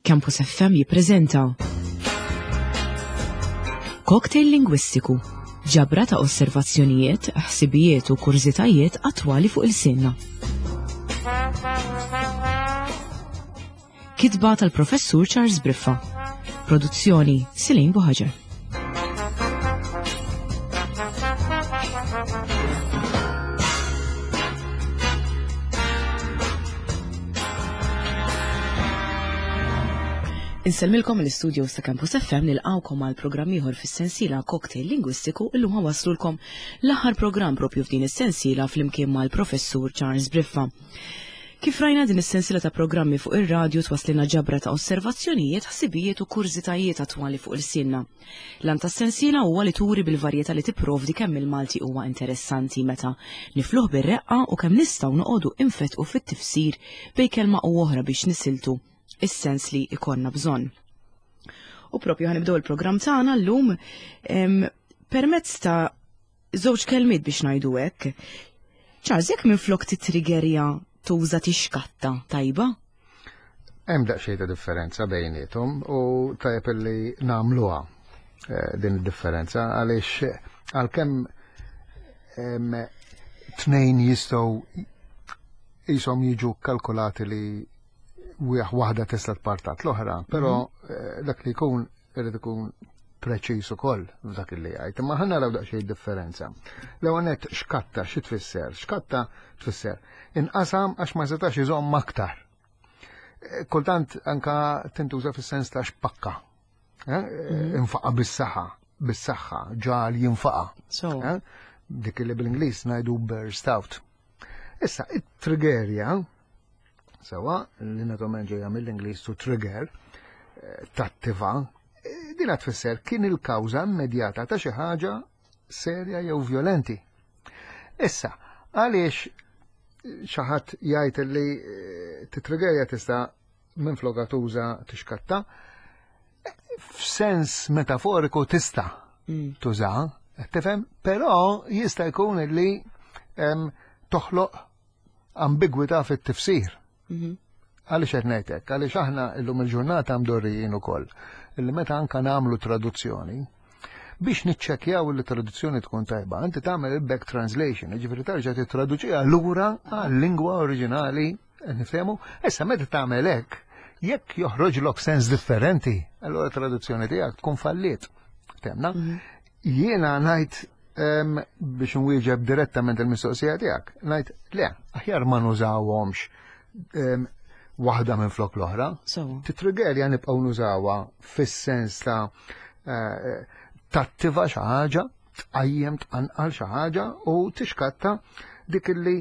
Campus FM jippreżenta Cocktail Lingwistiku, ġabra ta' osservazzjonijiet, ħsibijiet u kurżitajiet attwali fuq il-sinna. Kitba tal-Professur Charles Briffa. Produzzjoni Silin Buħaġer. Insellmilkom l-istudio ta' Campus FM nilqawkom għal programm ieħor fis-sensiela Cocktail Lingwistiku illum ħawaslulkom l-aħħar programm propju f'din is-sensiela flimkien mal-Professur Charles Briffa. Kif rajna din is-sensiela ta' programmi fuq ir-radju twaslilna ġabra ta' osservazzjonijiet, ħsibijiet u kurżitajiet attwali fuq ilsienna. L-għan tas-sensiela huwa li turi bil-varjetà li tipprovdi kemm il-Malti huwa interessanti meta nifluh bir-reqqa u kemm nistgħu noqogħdu infettqu fit-tifsir bejn kelma u oħra biex nisiltu is-sens li jkollna bżonn. U propju ħanibdew il-programm tagħna llum permezz ta' żewġ kelmiet biex ngħidu hekk. Charles, jekk minflok titrigerja tuża tixkatta, tajba? Hemm daqsxejn ta' differenza bejniethom u tajjeb li nagħmluha eh, din id-differenza għaliex għalkemm tnejn jistgħu jisom jiġu kalkulati li waħda tista' tpartat l-oħra, però mhm. eh, dak li jkun irid ikun preċiż ukoll f'dak li jgħid. Imma ħa naraw daqsxejn differenza. L-ewwel nett xkatta xi tfisser? Xkatta tfisser inqasam għax ma setax iżomm aktar. Eh, kultant anka tintuża fis-sens ta' xpakka. Eh, mhm. Infaqa bis-saħħa, bis-saħħa, ġal jinfaqa. Eh, dik li bl-Ingliż ngħidu burst out. Issa, it-trigerja Sewa, li naturalment ġejja mill-Ingliż to trigger, eh, tattiva, eh, din tfisser kien il-kawża immedjata ta' xi ħaġa serja jew violenti. Issa, għaliex xi ħadd jgħid li eh, titrigerja tista' minn floka tuża tixkatta, f'sens metaforiku tista' mm. tuża, tifhem, però jista' jkun li toħloq ambigwità fit-tifsir. Mhm. Għaliex qed ngħid hekk? Għaliex aħna llum il-ġurnata mdorrijin ukoll illi meta anka nagħmlu traduzzjoni, biex niċċekkjaw li traduzzjoni tkun tajba, inti tagħmel il-back translation, jiġifieri terġa' tittraduċiha lura għal-lingwa oriġinali, nifhemu? Issa meta tagħmel hekk, jekk joħroġlok sens differenti, allura traduzzjoni tiegħek tkun falliet. Temna? Mhm. Jiena ngħid biex nwieġeb direttament il-mistoqsija tiegħek, ngħid le, aħjar ma nużawhomx waħda minn flok l-oħra. Titrigerja nibqgħu nużawha fis-sens ta' eh, tattiva xi ħaġa, tqajjem tqanqal xi ħaġa u tixkatta dik illi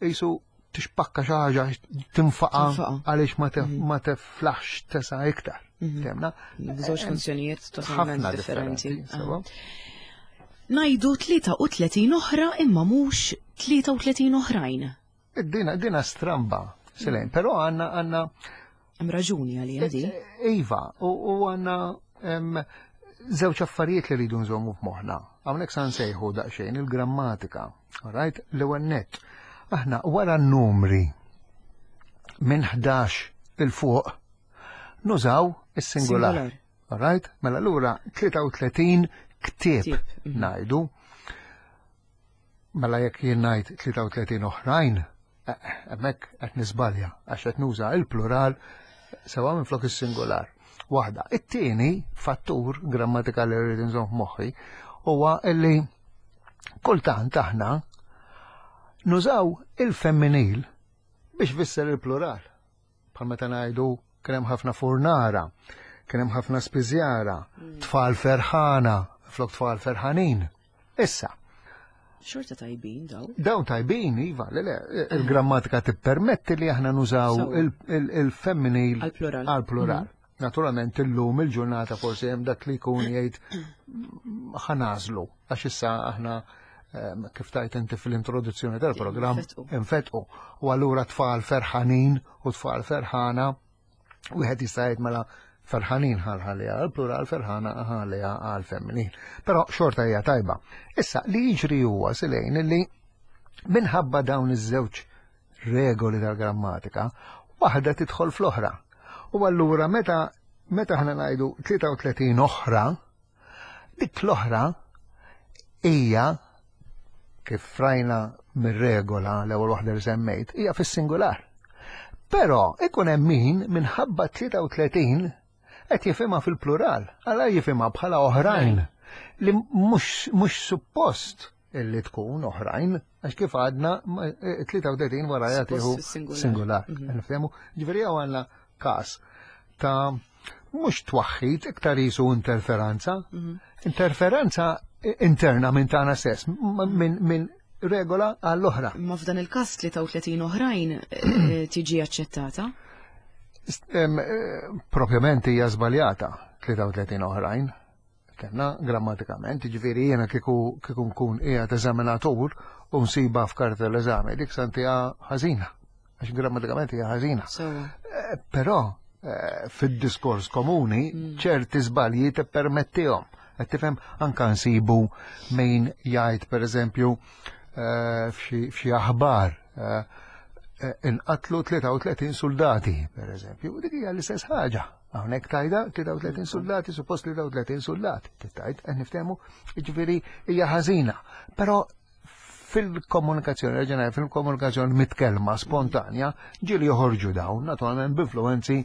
jisu tixpakka xi ħaġa tinfaqa għaliex ma mhm. teflaħx tesa' iktar. Mhm. Temna? Żewġ funzjonijiet totalment differenti. Ah. Najdu 33 oħra imma mhux 33 oħrajn. Dina, dina stramba, Selene, però għanna għanna. Hemm raġuni għalija di. Eh, eh, iva, u għanna żewġ affarijiet li rridu nżommu f'moħħna. Hawnhekk sa nsejħu daqsxejn il-grammatika. Right? L-ewwel nett. Aħna wara n-numri minn 11 il fuq nużaw is-singular. Right? Mela lura 33 ktieb mhm. ngħidu. Mela jekk jien ngħid 33 oħrajn, eh, hemmhekk qed niżbalja għax qed nuża il-plural sewa minflok is-singular. Waħda. It-tieni fattur grammatikali li rrid inżomm f'moħħi huwa illi kultant aħna nużaw il-femminil biex fisser il-plural. Bħal meta ngħidu kien hemm ħafna furnara, kien hemm ħafna spiżjara, mm. tfal ferħana, flok tfal ferħanin. Issa. Xorta tajbin daw. Dawn tajbin, iva, le, le, il-grammatika tippermetti li aħna nużaw il-femminil għal-plural. Għal-plural. Mm. Naturalment illum il-ġurnata forsi hemm dak li jkun jgħid ħanażlu għax issa aħna ehm, kif tajt inti fil-introduzzjoni tal-programm infetqu. U allura tfal ferħanin u tfal ferħana Wieħed jista' jgħid mela ferħanin ħalħalija għal plural ferħana ħalija għal femminil. Però xorta hija tajba. Issa li jiġri huwa silejn li minħabba dawn iż-żewġ regoli tal-grammatika, waħda tidħol fl-oħra. U allura meta meta ħna ngħidu 33 oħra, dik l-oħra hija kif rajna mir-regola l-ewwel waħda li semmejt, hija fis-singular. Però ikun hemm min minħabba 33 qed jifhimha fil-plural, għala jifhimha bħala oħrajn li mhux suppost illi tkun oħrajn, għax kif għadna 33 wara jagħtiħu singular. Mhm. Nifhemu, ġifieri għandna każ ta' mhux twaħħid iktar jisu interferenza. Mhm. Interferenza interna minn tagħna stess, minn regola għall-oħra. Ma f'dan il-każ 33 oħrajn eh, tiġi aċċettata? Eh, propjament hija żbaljata 33 oħrajn. Kenna grammatikament, ġifieri jiena kieku kieku nkun qiegħed eżaminatur u nsiba f'karta l-eżami, dik santija ħażina, għax grammatikament hija ħażina. Eh, però eh, fid-diskors komuni mm. ċerti żbalji tippermettihom. Qed tifhem anka nsibu min jgħid pereżempju eh, f'xi aħbar inqatlu 33 soldati, per eżempju, dik hija l-istess ħaġa. Hawnhekk tajda 33 soldati, suppost 33 soldati, tittajt, qed niftehmu, jiġifieri hija ħażina. Però fil-komunikazzjoni reġjonali, fil-komunikazzjoni mitkellma spontanja, ġieli joħorġu dawn, naturalment b'influenzi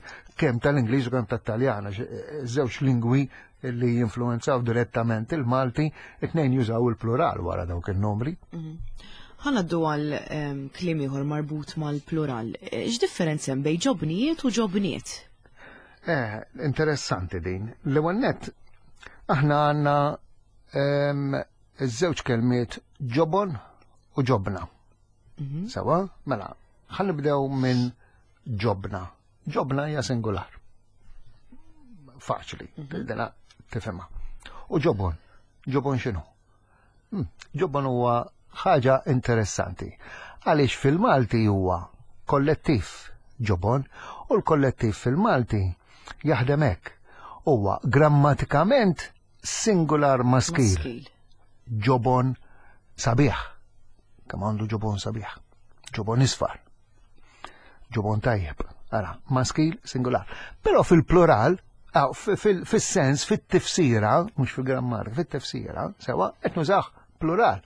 kemm tal-Ingliż u kemm tat-Taljan, eh, żewġ lingwi li jinfluenzaw direttament il-Malti, it-tnejn jużaw il-plural wara dawk il-numri. Mhm. Ħanaddu għal ehm, kliem ieħor marbut mal-plural. Eh, x'differenza hemm bejn ġobnijiet u ġobniet? Eh, interessanti din. L-ewwel nett aħna għandna ehm, iż-żewġ kelmiet ġobon u ġobna. Mhm. Sewa, mela, ħan nibdew minn ġobna. Ġobna hija singular. Faċli, mhm. dena tifhimha. U ġobon, ġobon x'inhu? Hmm, ġobon huwa ħaġa interessanti. Għaliex fil-Malti huwa kollettiv ġobon u l-kollettiv fil-Malti jaħdem hekk. Huwa grammatikament singular maskil. Ġobon sabiħ. Kemm għandu ġobon sabiħ. Ġobon isfar. Ġobon tajjeb. Ara, maskil singular. Però fil-plural, fil-sens, fit-tifsira, mhux fil-grammatika, fit-tifsira, sewa, qed nużah plural.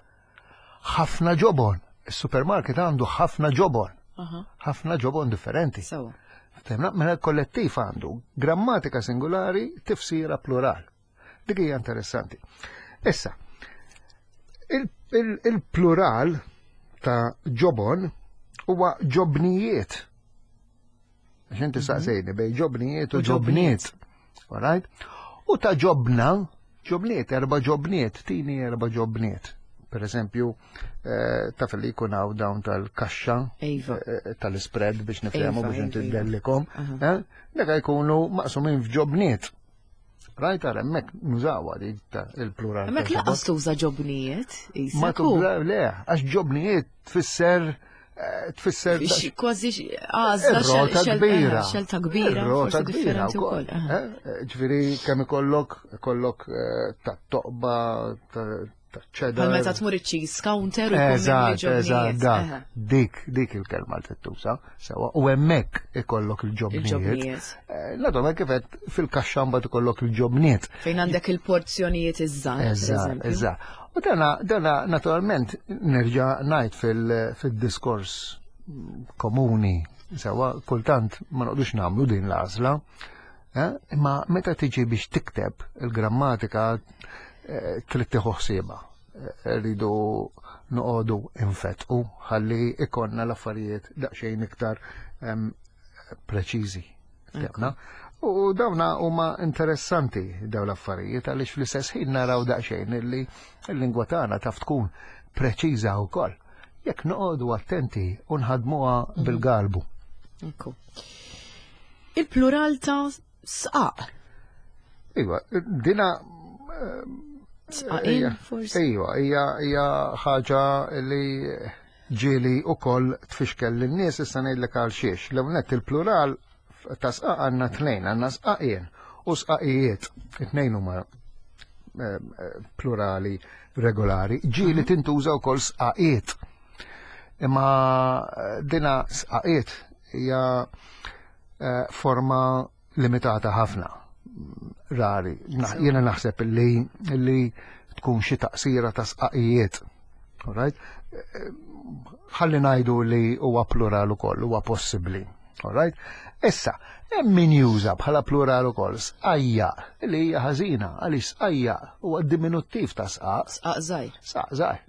Ħafna ġobon. Is-supermarket għandu ħafna ġobon. Ħafna ġobon differenti. Sewa. Ftemna, mela l-kollettiv għandu grammatika singolari, tifsira plural. Dik hija interessanti. Issa, il-plural ta' ġobon huwa ġobnijiet. Għax inti mhm. saqsejni bej ġobnijiet u ġobniet. Alright? U ta' ġobna, ġobniet, erba ġobniet, tini erba ġobniet. Per eżempju, eh, taf li jkun hawn dawn tal-kaxxa iva. eh, tal-spread biex nifhemu iva, biex iva, intidellikom. Eh, Deka jkunu maqsumin f'ġobniet. Rajt għal hemmhekk nużawha dik il-plural. Hemmhekk laqas tuża ġobnijiet, Ma tuża le, għax ġobnijiet tfisser eh, tfisser kważi għażla rota kbira. Xelta kbira. Rota kbira wkoll. Eh, ġifieri kemm ikollok ikollok eh, ta' toqba ċedar. Bħal meta tmur iċ-cheese counter u Eżatt, eżatt, dak. Dik, dik il-kelma li tittuża, sewa, u hemmhekk ikollok il-ġobnijiet. Eh, Naturalment kif qed fil-kaxxa mbagħad ikollok il-ġobniet. Fejn għandek il-porzjonijiet iż-żgħar. Eżatt, eżatt. U dana, dana naturalment nerġa' ngħid fil-diskors komuni, sewa, kultant ma noqdux nagħmlu din l-għażla. Eh, imma meta tiġi biex tikteb il-grammatika eh, trid tieħu ħsiebha. Eh, rridu noqogħdu infetqu ħalli ikonna l-affarijiet daqsxejn iktar preċiżi. U dawna huma interessanti daw l-affarijiet għaliex fl-istess ħin naraw daqsxejn illi l-lingwa tagħna taf tkun preċiża wkoll. Jekk noqogħdu attenti u nħadmuha mhm. bil-galbu. Il-plural ta' sqaq. Iva, dina. Eh, Sqaqin, forsi. Iva, hija hija ħaġa li ġieli u koll tfixkel l-nies issa ngħidlek għal xiex. L-ewwel il-plural ta' sqaq għandna tnejn, għandna sqaqien u sqaqijiet. It-tnejn huma eh, plurali regolari. Ġieli mhm. tintuża wkoll sqaqiet. Imma eh, dina sqaqiet hija forma limitata ħafna, rari. Jiena naħseb li li tkun xi taqsira ta' sqaqijiet. Alright? Ħalli ngħidu li huwa plural ukoll, huwa possibbli. Alright? Issa, hemm min juża bħala plural ukoll sqajja li hija ħażina għaliex sqajja huwa diminuttiv ta' sqaq. Sqaq żgħir. Sqaq żgħir.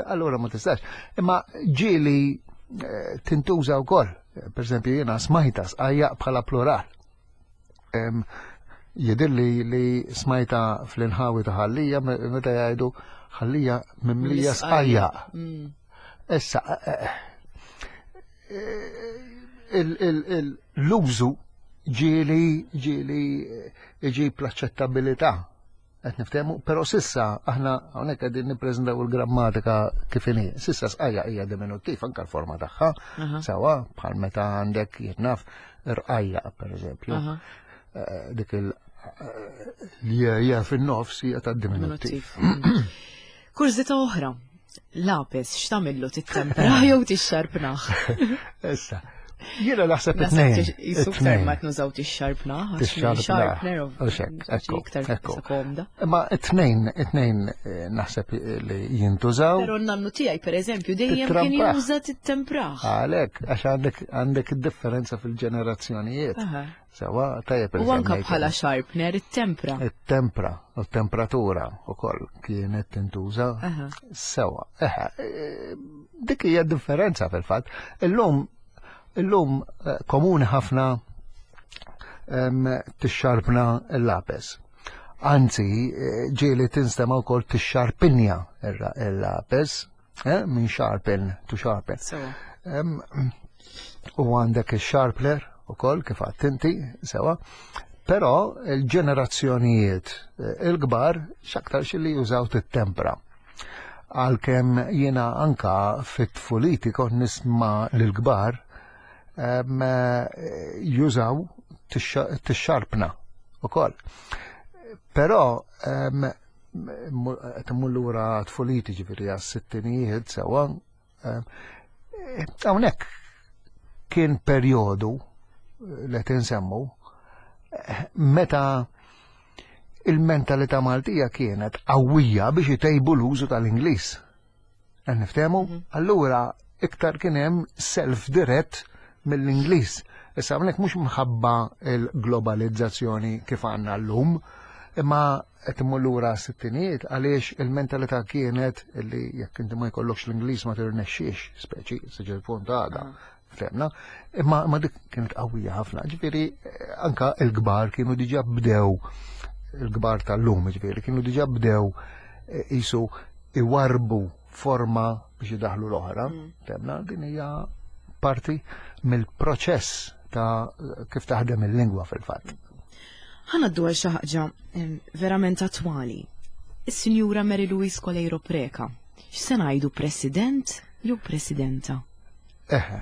Allura ma tistax. Imma ġieli eh, tintuża wkoll. Per eżempju, jiena smajta sqajja bħala plural. Jidhirli li smajta fl-inħawi ta' ħallija meta jgħidu ħallija mimlija sqajja. Mm. Issa, eh, eh, l-użu ġieli ġieli iġib l-aċċettabilità Qed niftehmu, però sissa aħna hawnhekk qegħdin nippreżentaw il-grammatika kif inhi. Sissa sqajja hija diminuttiv anke l-forma tagħha. Sewa bħal meta għandek jitnaf irqajja pereżempju. Eh, dik il eh, li hija fin-nofs hija ta' diminuttiv. Mm. Kurżità oħra, lapes x'tagħmillu tittempra jew tixxarpnaħ? Issa, jiena naħseb it-tnejn. Jisu iktar ma tnużaw tixxarpnaħ. Tixxarpnaħ. Iktar komda. Ma it-tnejn, it-tnejn eh, naħseb li jintużaw. Però n-nannu tiegħi pereżempju dejjem kien juża tittempraħ. Għalhekk, għax għandek għandek differenza fil-ġenerazzjonijiet. Sewa, tajjeb. U anka bħala sharpener it-tempra. It-tempra, u temperatura u koll kienet tintuża. Sewa, eħe, e, dik hija differenza fil-fatt. Illum, illum eh, komuni ħafna tixxarpna l-lapes. Anzi, eh, ġieli tinstema wkoll tixxarpinja il-lapes, eh, minn sharpen to sharpen. U għandek il-sharpler u koll kif inti, sewa. Però il-ġenerazzjonijiet eh, il-kbar x'aktar li jużaw tit-tempra. Għalkemm jiena anka fit-tfuliti kont nisma' l-kbar eh, jużaw tixxarpna ukoll. Però qed immur lura tfuliti ġifieri għas-sittinijiet sewwa. Eh, hawnhekk kien perjodu li qed insemmu eh, meta il-mentalità Maltija kienet qawwija biex itejbu l-użu tal-Ingliż. Qed niftehmu? Mhm. Allura iktar kien hemm self dirett mill-Ingliż. Issa hawnhekk mhux mħabba l-globalizzazzjoni kif għandna llum, imma qed immur lura sittinijiet għaliex il-mentalità kienet li jekk inti ma jkollokx l-Ingliż ma tirnexxiex, speċi, siġil punt għada. Ah. Femna, imma ma dik kienet qawwija ħafna. Ġifieri eh, anka l-kbar kienu diġà bdew il-kbar tal-lum, ġifieri kienu diġà bdew eh, isu iwarbu forma biex idaħlu l-oħra. Mm. Femna, din hija parti mill-proċess ta' kif taħdem il-lingwa fil-fatt. Ħanaddu għal xi ħaġa verament attwali. Is-Sinjura Mary Louise Coleiro Preca, x'se ngħidu President jew Presidenta? Eħe,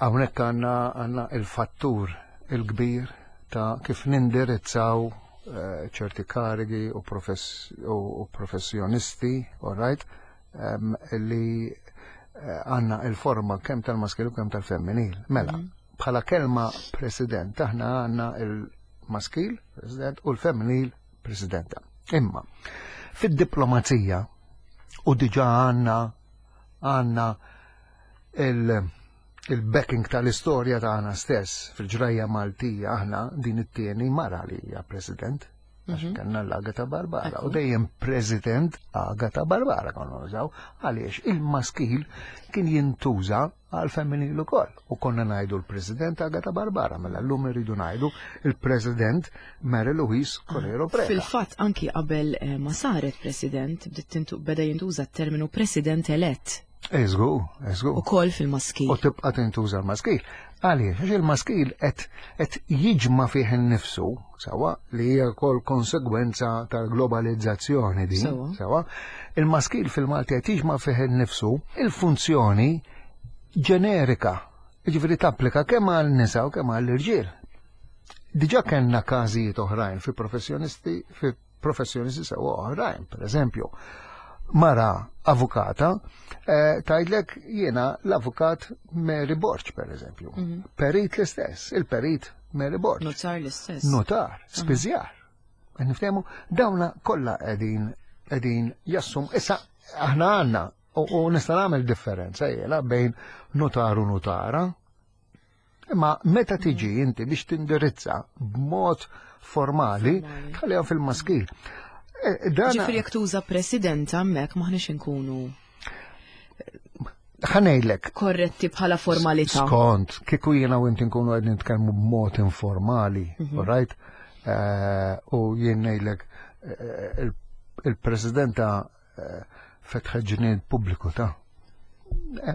hawnhekk għandna għandna il-fattur il-kbir ta' kif nindirizzaw eh, ċerti karigi u, profess, u professjonisti, all right, um, li eh, għandna il-forma kemm tal-maskil u kemm tal-femminil. Mela, mm. bħala kelma president aħna għandna il-maskil, president, u l-femminil, presidenta. Imma, fid-diplomazija, u diġa għandna għandna il-backing tal-istorja tagħna stess fil-ġrajja Maltija aħna din it-tieni mara li hija president. Għax mhm. kellna l-Agata Barbara u dejjem president Agata Barbara konna nużaw għaliex il-maskil kien jintuża għal femminil ukoll. U konna ngħidu l-President Agata Barbara, mela llum irridu ngħidu il-President Mary Louise Coleiro Preca. Fil-fatt anki qabel eh, ma saret President, beda jintuża t-terminu President elett. Eżgu, eżgu. U kol fil-maskil. U tibqa tintuża l-maskil. Għaliex, għax il-maskil qed jiġma fih innifsu, sewa, li hija wkoll konsegwenza tal-globalizzazzjoni din, sewa, il-maskil fil-Malti qed jiġma fih innifsu il-funzjoni ġenerika, jiġifieri tapplika kemm għal nisa u kemm għall irġiel. Diġà kellna każijiet oħrajn fi professjonisti fi professjonisti sewa oħrajn, per eżempju. mara avukata, eh, tgħidlek jiena l-avukat Mary Borg, per eżempju. Perit l-istess, il-perit Mary Borg. Notar l-istess. Notar, spiżjar. Qed Niftehmu, dawna kollha qegħdin qegħdin jassum. Issa aħna għandna u nista' nagħmel differenza jiena bejn notar u notara. Imma meta tiġi inti biex tindirizza b'mod formali, Formali. tħallihom fil-maskil. Dana Ġifieri jekk tuża president hemmhekk m'aħniex inkunu ħa ngħidlek, korretti bħala formalità. Skont, kieku jiena u inti nkunu qegħdin nitkellmu b'mod informali, all right? U jien ngħidlek il-presidenta fetħet ġnien pubbliku ta'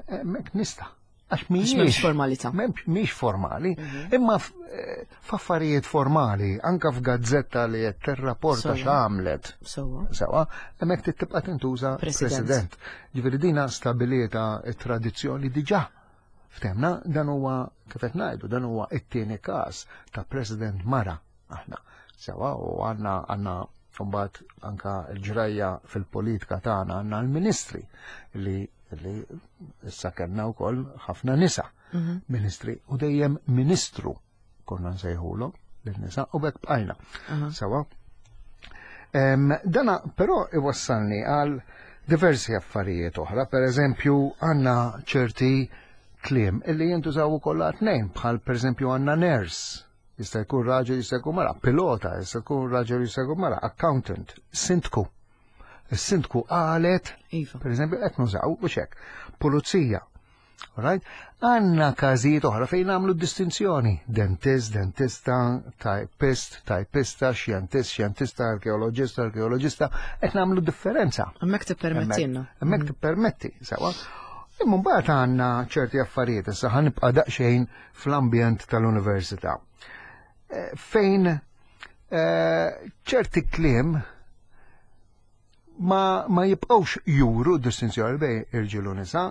hemmhekk nista'. Għax Għax m'hemmx mhijiex formalità. Mhix formali, imma f'affarijiet formali, anka f'gazzetta li qed tirrapporta x'għamlet. Sewwa. Sewwa, hemmhekk trid tibqa' tintuża President. president. Ġifieri dina stabilita t-tradizzjoni diġà. Ftemna, dan huwa kif qed ngħidu, dan huwa t-tieni każ ta' president mara aħna. Sewwa, u għandna mbagħad anka l-ġrajja fil-politika tagħna għandna l-ministri li issa kellna wkoll ħafna nisa ministri u dejjem ministru konna nsejħulhom lin-nisa u b'hekk bqajna. Sewwa. Dana però iwassalni għal diversi affarijiet oħra, per eżempju għandna ċerti kliem illi jintużaw ukoll għal tnejn, bħal per eżempju għandna nurse, jista' jkun raġel, jista' jkun mara, pilota, jista' jkun raġel, jista' jkun mara, accountant, sindku. Is-sindku qalet, per eżempju, qed nużaw u hekk, pulizija. Right? Għandna każijiet oħra fejn nagħmlu distinzjoni. Dentist, dentista, typist, typista, xjentist, xjentista, arkeologista, arkeologista, qed nagħmlu differenza. Hemmhekk tippermettilna. Hemmhekk tippermetti, sewwa. Imma mbagħad għandna ċerti affarijiet, issa ħa nibqa' daqsxejn fl-ambjent tal-università. Fejn ċerti kliem ma jibqgħux juru distinzjoni bejn irġiel u nisa.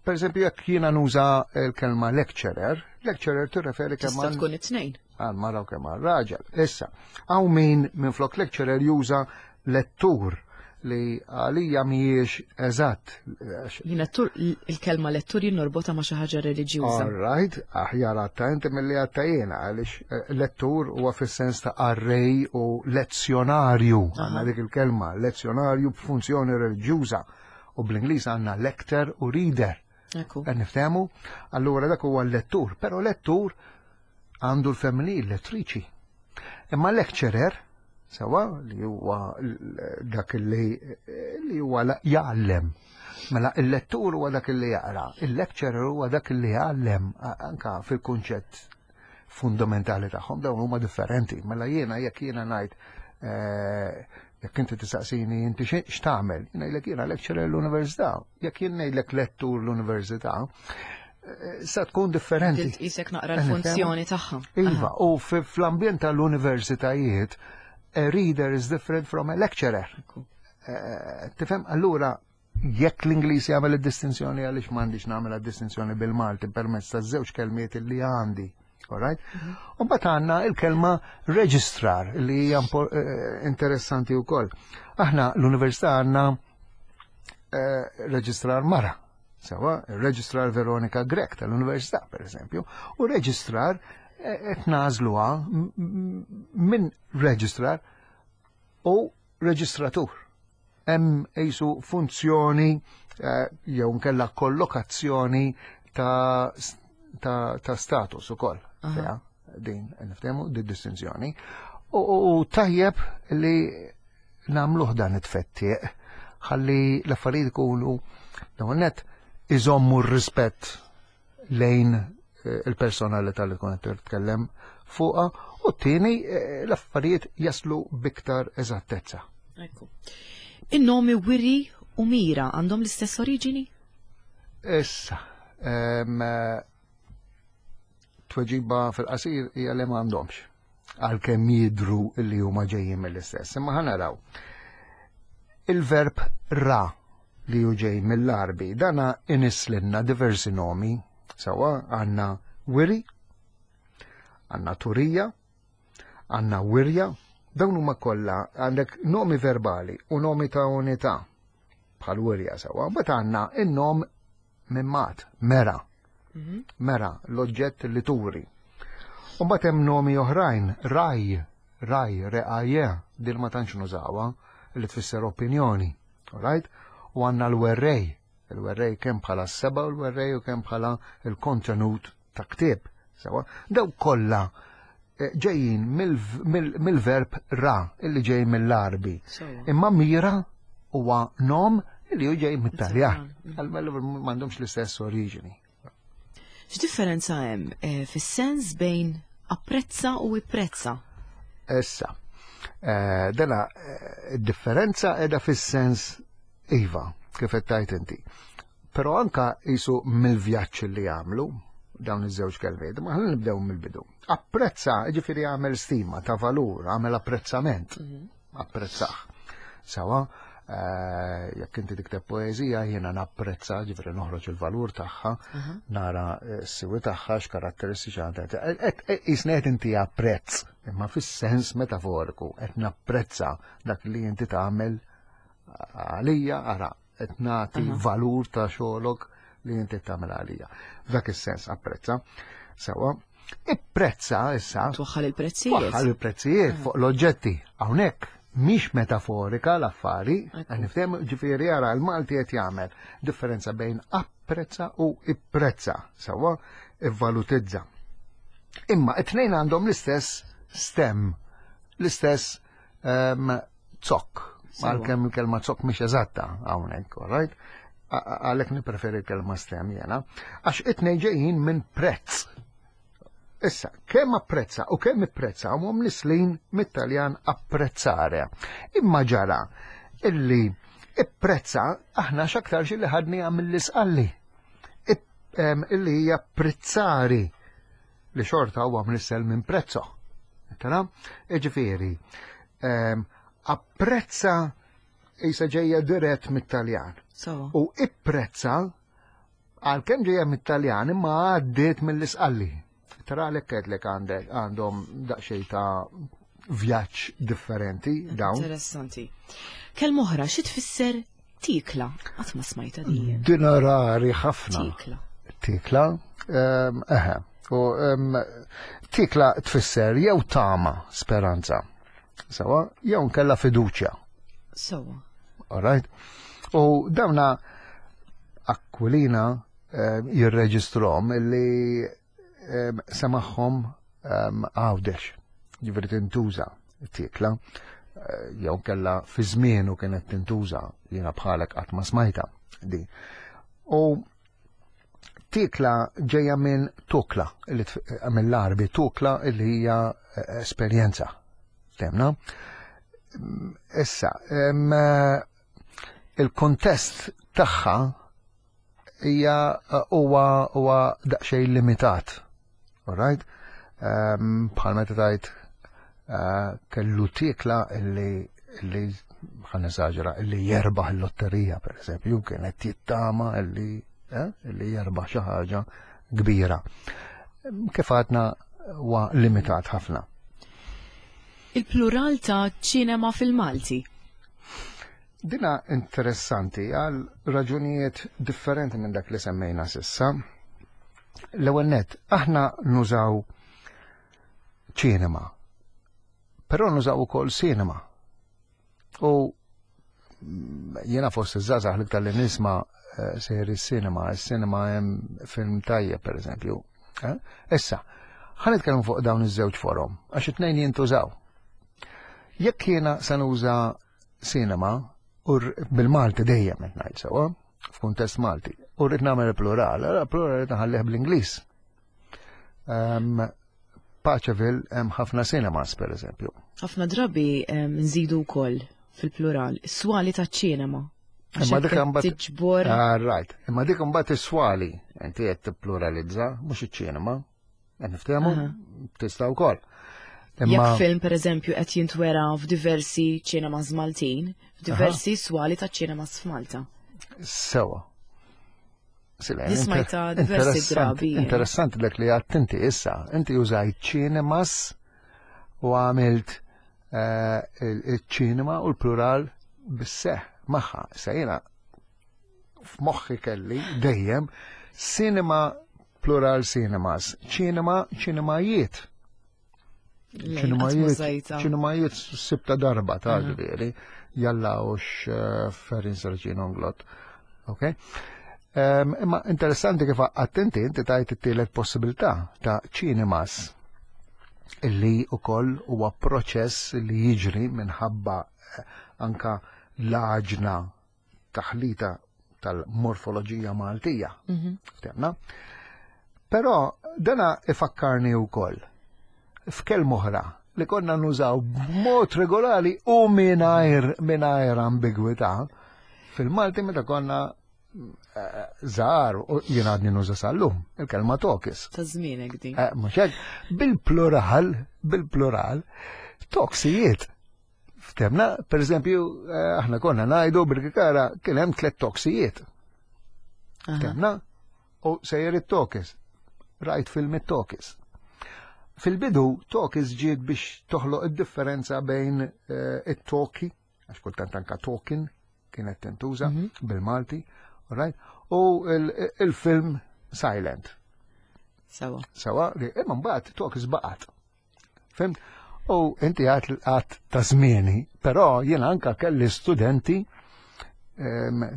Per eżempju, jekk jiena nuża l-kelma lecturer, lecturer tirreferi kemm Tista' tkun it-tnejn. għal mara u kemm għal raġel. Issa, hawn min minn flok lecturer juża lettur li għalija mhijiex eżatt. Jien lettur, il-kelma lettur jien norbotha ma' xi ħaġa reliġjuża. All right, aħjar għatta inti milli għatta jiena, għaliex lettur huwa fis-sens ta' qarrej u lezzjonarju, għandna dik il-kelma, lezzjonarju b'funzjoni reliġjuża. U bl-Ingliż għandna lector u reader. Qed niftehmu? Allura dak huwa l-lettur, però lettur għandu l-femminil, lettriċi. Imma lecturer, sewwa, li huwa dak li huwa jgħallem. Mela il-lettur huwa dak li jaqra, il-lecturer huwa dak li jgħallem, anka fil-kunċett fundamentali tagħhom dawn huma differenti. Mela jiena jekk jiena ngħid, jekk inti tistaqsini inti x'tagħmel, jien ngħidlek jiena lecturer l-università. Jekk jien ngħidlek lettur l-università, sa tkun differenti. Tqisek naqra l-funzjoni tagħha. Iva, u fl-ambjent tal-universitajiet, a reader is different from a lecturer. Tifhem, allura jekk l-Ingliż jagħmel id-distinzjoni, għaliex m'għandix nagħmel id-distinzjoni bil-Malti permezz ta' żewġ kelmiet li għandi. All right? U mbagħad għandna il-kelma registrar li hija interessanti wkoll. Aħna l-università għandna registrar mara. Sewwa, registrar Veronika Grech tal-Università, per eżempju, u registrar qed nagħżluha minn registrar u reġistratur. Hemm qisu funzjoni jew nkella kollokazzjoni ta' status ukoll. Fiha din niftehmu di distinzjoni. U tajjeb li nagħmluh dan it-tfettiq ħalli l-affarijiet ikunu dawn net iżommu r-rispett lejn il-personalità li tkun qed titkellem fuqha, u t-tieni l-affarijiet jaslu biktar eżattezza. Ekku. In-nomi Wiri u Mira għandhom l-istess oriġini? Issa, tweġiba fil-qasir hija li m'għandhomx, għalkemm jidhru li huma ġejjin mill-istess. Imma ħa naraw. Il-verb ra li hu ġej mill-Għarbi, dana inislinna diversi nomi, sewwa għandna wiri, għandna turija, għandna wirja, dawn huma kollha għandek nomi verbali u nomi ta' unità. bħal wirja sewa. Mbagħad għandna in-nom mimmat, mera. Mhm. Mera, l-oġġett li turi. U mbagħad hemm nomi oħrajn, raj, raj, reqaje, din ma tantx nużawha, li tfisser opinjoni. Alright? U għandna l-werrej, il-werrej kemm bħala s-seba u l-werrej u kemm bħala il-kontenut ta' ktieb. Sewa, daw kollha eh, ġejjin mill-verb ra illi ġej mill-Arbi. Imma mira huwa nom illi hu ġej mit-Taljan. M'għandhomx l-istess oriġini. X'differenza hemm eh, fis-sens bejn apprezza u ipprezza? Issa, eh, dela differenza edha fis-sens iva, kif qed tgħid inti. Però anka jisu mill-vjaġġ li għamlu dawn iż-żewġ kelmiet, ma ħalli nibdew mill-bidu. Apprezza, ġifieri għamel stima ta' valur, għamel apprezzament, mhm. apprezzaħ. Sawa, eh, jekk inti tikteb poeżija jiena napprezza, ġifieri noħroġ il-valur tagħha, mhm. nara eh, s-siwi tagħha x'karatteristiċi għandha. Eh, Isni qed inti apprezz, imma fis-sens metaforiku qed napprezza dak li inti tagħmel għalija, ara, qed nagħti valur ta' xogħolok li inti tagħmel għalija. F'dak is-sens apprezza. Sewa, ipprezza issa. Twaħħal il-prezzijiet. Twaħħal il-prezzijiet fuq l-oġġetti. Hawnhekk mhix metaforika l-affari, nifhem ġifieri ara l-Malti qed jagħmel differenza bejn apprezza u ipprezza, sewa ivvalutizza. Imma it-tnejn għandhom l-istess stem, l-istess ehm, zokk. Għalkemm il-kelma zokk mhix eżatta hawnhekk, all right? Għalhekk nippreferi l-kelma stem jiena. Għax it-tnejn ġejjin minn prezz. Issa, kemm apprezza u kemm ipprezza huma mnislin mit-Taljan apprezzare. Imma ġara illi ipprezza aħna x'aktarx illi ħadniha mill-isqalli. Illi hija prezzari li xorta huwa mnissel minn prezzo. Tara? Ġifieri, ehm, apprezza jisa ġejja dirett mit-Taljan. U ipprezza għalkemm ġejja mit-Taljan imma għaddiet mill-isqalli. Tara għalhekk għedlek għandek għandhom daqsxejn ta' vjaġġ differenti dawn. Interessanti. Kelma oħra xi tfisser tikla? Qatt ma smajta din. Din rari ħafna. Tikla. Tikla, ehm, eħe. U ehm, tikla tfisser jew tama, speranza. Sewa, jew nkella fiduċja. Sewa. All right? U dawna Aquilina ehm, jirreġistrom illi semaħħom Għawdex, ġifieri tintuża t-tikla, eh, jew kella fi żmienu kienet tintuża jiena bħalek qatt ma smajta di. U tikla ġejja minn tukla, eh, mill-Arbi tukla li hija eh, esperjenza. Temna? Issa, il-kontest tagħha hija eh, huwa huwa daqsxejn limitat. Alright? Ehm, bħal meta tajt eh, kellu tikla illi illi ħan eżaġera illi jerbaħ il-lotterija per eżempju, kienet jittama illi eh, illi jerbaħ xi ħaġa kbira. Ehm, kif għadna huwa limitat ħafna. Il-plural ta' ċinema fil-Malti. Dina interessanti għal raġunijiet differenti minn dak li semmejna sissa. L-ewwel nett, aħna nużaw ċinema, però nużaw ukoll sinema. U jiena fost iż-żgħażagħ l-iktar li nisma' eh, sejr is-sinema, is-sinema hemm film tajjeb pereżempju. Eh? Issa, ħa nitkellmu fuq dawn iż-żewġ forom, għax it-tnejn jintużaw. Jekk jiena se nuża cinema, u bil-Malti dejjem qed ngħid sewwa, f'kuntest Malti, u rrid nagħmel plural, allura plural rrid nħallih bl-Ingliż. Ehm, Paċeville hemm ħafna cinemas pereżempju. Ħafna drabi ehm, nżidu wkoll fil-plural swali taċ-ċinema. Imma dik imbagħad tiġbor. Ah, right. Imma dik imbagħad is-swali inti qed tippluralizza mhux iċ-ċinema. Qed niftehmu? Tista' wkoll. Imma Jekk film pereżempju qed jintwera f'diversi ċinemas Maltin, f'diversi swali ta' ċinemas f'Malta. Sewa. Nismajta diversi drabi. Interessanti dak li għadt inti issa. Inti użajt ċinemas u għamilt eh, il-ċinema u l-plural bis-seħ magħha. Issa jiena f'moħħi kelli dejjem cinema plural cinemas, ċinema ċinemajiet. Ċinemajiet, ċinemajiet sibta darba ta' ġifieri, jalla ux eh, Ferin Serġin Onglot. Ok? Imma interessanti kif attenti inti tajt it-tielet possibilità ta' ċinemas illi ukoll huwa proċess li jiġri minħabba eh, anka l-għaġna taħlita tal-morfoloġija Maltija. Mhm. Ftemna? Però dana ifakkarni wkoll f'kelma oħra li konna nużaw b'mod regolari u mingħajr mingħajr ambigwità fil-Malti meta konna eh, żgħar u jien għadni nuża sal-lum il-kelma tokis. Ta' żmienek din. Eh, mhux hekk, bil-plural, bil-plural, toksijiet. Ftemna, per eżempju, eh, aħna konna najdu bil-kikara kien hemm tlet toksijiet. Ftemna, u sejjer it-tokis. Rajt film it-tokis. Fil-bidu, tokis ġiet biex toħloq id-differenza bejn eh, it-toki, għax kultant anka tokin kienet tintuża mhm. bil-Malti, right? u il-film silent. Sawa. Sawa, imma mbagħad tokis baqgħet. Fimt? U inti għat għat ta' zmieni, però jiena anka kelli studenti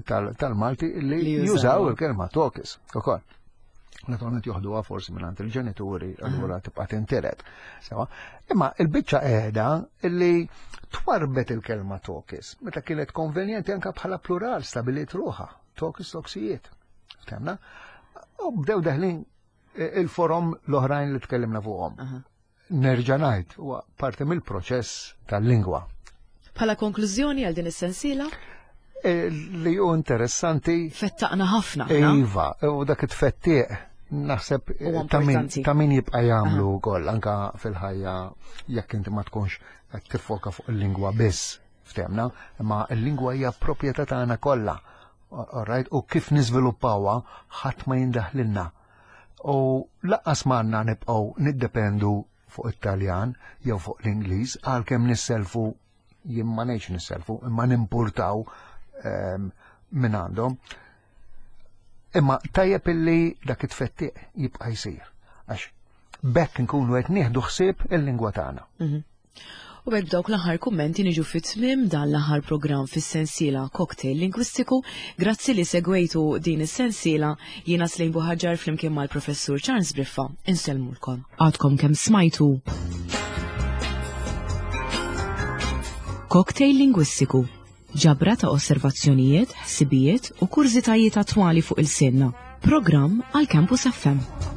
tal-Malti li jużaw il-kelma tokis. Ukoll. Naturalment joħduha forsi minn il-ġenituri, allura tibqa' tintiret. Sewa. Imma il-biċċa qiegħda illi twarbet il-kelma tokis meta kienet konvenjenti anka bħala plural stabilit ruħha, tokis toksijiet. Ftemna? U bdew deħlin il-forom l-oħrajn li tkellimna fuqhom. Nerġa' ngħid huwa parti mill-proċess tal-lingwa. Bħala konklużjoni għal din is-sensiela? E, li hu interessanti. Fettaqna ħafna. Iva, u dak it-tfettiq naħseb ta' min jibqa' jagħmlu wkoll anka fil-ħajja jekk inti ma tkunx qed tiffoka fuq il-lingwa biss ftemna, imma l-lingwa hija proprjetà tagħna kollha. Alright, u kif niżviluppawha ħadd ma jindaħlilna. U laqqas m'għandna nibqgħu niddependu fuq it-Taljan jew fuq l-Ingliż għalkemm nisselfu jien ma ngħidx nisselfu imma nimpurtaw ehm, minn għandhom. Imma tajjeb illi dak it-tfettiq jibqa' jsir għax bekk nkunu qed nieħdu ħsieb il-lingwa tagħna. Mhm. U b'hekk b'dawk l-aħħar kummenti niġu fi tmiem dan l-aħħar programm fis-sensiela Cocktail Lingwistiku. Grazzi li segwejtu din is-sensiela. Jiena Slejn Buħaġar flimkien mal-Professur Charles Briffa insellmulkom. Għadkom kemm smajtu Cocktail Lingwistiku ġabra ta' osservazzjonijiet, ħsibijiet u kurżitajiet attwali fuq il-sinna. Programm għal Campus FM.